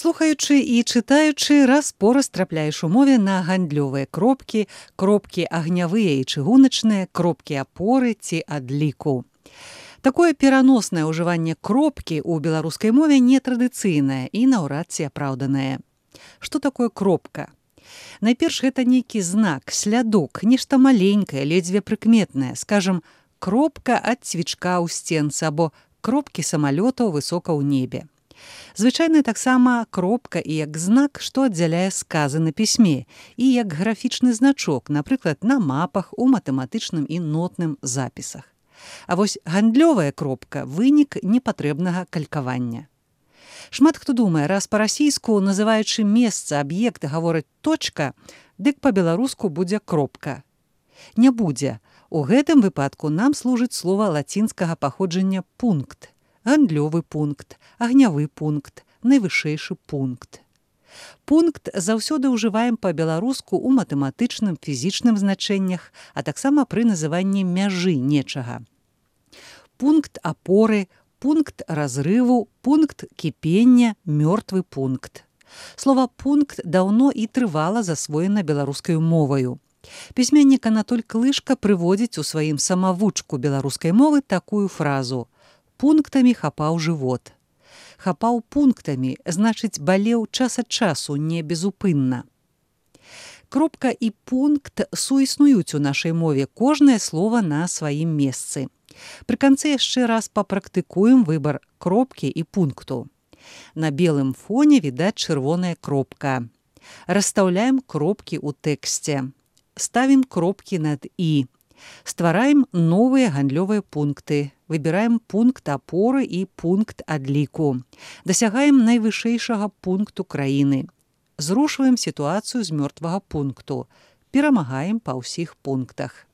Слухаючы і чытаючы, раз-пораз трапляеш у мове на гандлёвыя кропкі, кропкі агнявыя і чыгуначныя, кропкі апоры ці адліку. Такое пераноснае ўжыванне кропкі ў беларускай мове нетрадыцыйнае і наўрад ці апраўданае. Што такое кропка? Найперш, гэта нейкі знак, слядок, нешта маленькае, ледзьве прыкметнае, скажам, кропка ад цвічка ў сценцы або кропкі самалётаў высока ў небе. Звычайна таксама кропка і як знак, што аддзяляе сказы на пісьме, і як графічны значок, напрыклад, на мапах, у матэматычным і нотным запісах. А вось гандлёвая кропка – вынік непатрэбнага калькавання. Шмат хто думае, раз па-расійску, называючы месца, аб'ект, гаворыць точка, дык па-беларуску будзе кропка. Не будзе. У гэтым выпадку нам служыць слова лацінскага паходжання пункт. Гандлёвы пункт, агнявы пункт, найвышэйшы пункт. Пункт заўсёды ўжываем па-беларуску ў матэматычным, фізічным значэннях, а таксама пры называнні мяжы нечага. Пункт апоры, пункт разрыву, пункт кіпення, мёртвы пункт. Слова «пункт» даўно і трывала засвоена беларускай моваю. Пісьменнік Анатоль Клышка прыводзіць у сваім самавучку беларускай мовы такую фразу «пунктамі хапаў жывот». Хапаў пунктамі, значыць, балеў час ад часу, не безупынна. Кропка і пункт суіснуюць у нашай мове, кожнае слова на сваім месцы. Пры канцы яшчэ раз папрактыкуем выбар кропкі і пункту. На белым фоне відаць чырвоная кропка. Расстаўляем кропкі ў тэксце. Ставім кропкі над «і». Ствараем новыя гандлёвыя пункты. Выбіраем пункт апоры і пункт адліку. Дасягаем найвышэйшага пункту краіны. Зрушваем сітуацыю з мёртвага пункту. Перамагаем па ўсіх пунктах.